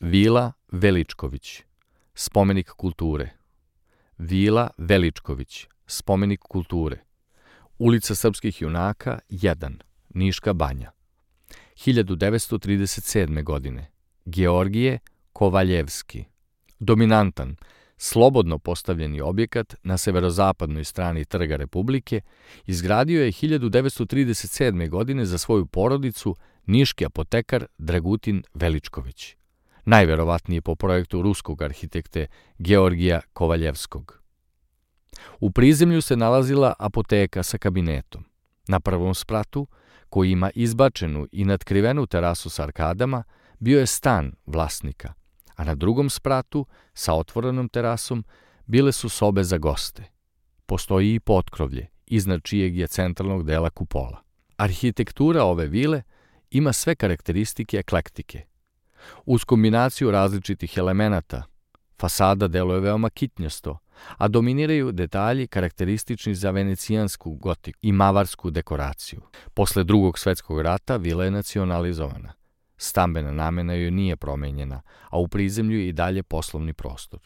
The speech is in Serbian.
Vila Veličković, spomenik kulture. Vila Veličković, spomenik kulture. Ulica srpskih junaka 1, Niška banja. 1937. godine. Georgije Kovaljevski. Dominantan, slobodno postavljeni objekat na severozapadnoj strani Trga Republike izgradio je 1937. godine za svoju porodicu niški apotekar Dragutin Veličković, najverovatnije po projektu ruskog arhitekte Georgija Kovaljevskog. U prizemlju se nalazila apoteka sa kabinetom. Na prvom spratu, koji ima izbačenu i natkrivenu terasu sa arkadama, bio je stan vlasnika, a na drugom spratu, sa otvorenom terasom, bile su sobe za goste. Postoji i potkrovlje, iznad čijeg je centralnog dela kupola. Arhitektura ove vile ima sve karakteristike eklektike. Uz kombinaciju različitih elemenata, fasada deluje veoma kitnjasto, a dominiraju detalji karakteristični za venecijansku gotiku i mavarsku dekoraciju. Posle Drugog svetskog rata vila je nacionalizovana. Stambena namena joj nije promenjena, a u prizemlju je i dalje poslovni prostor.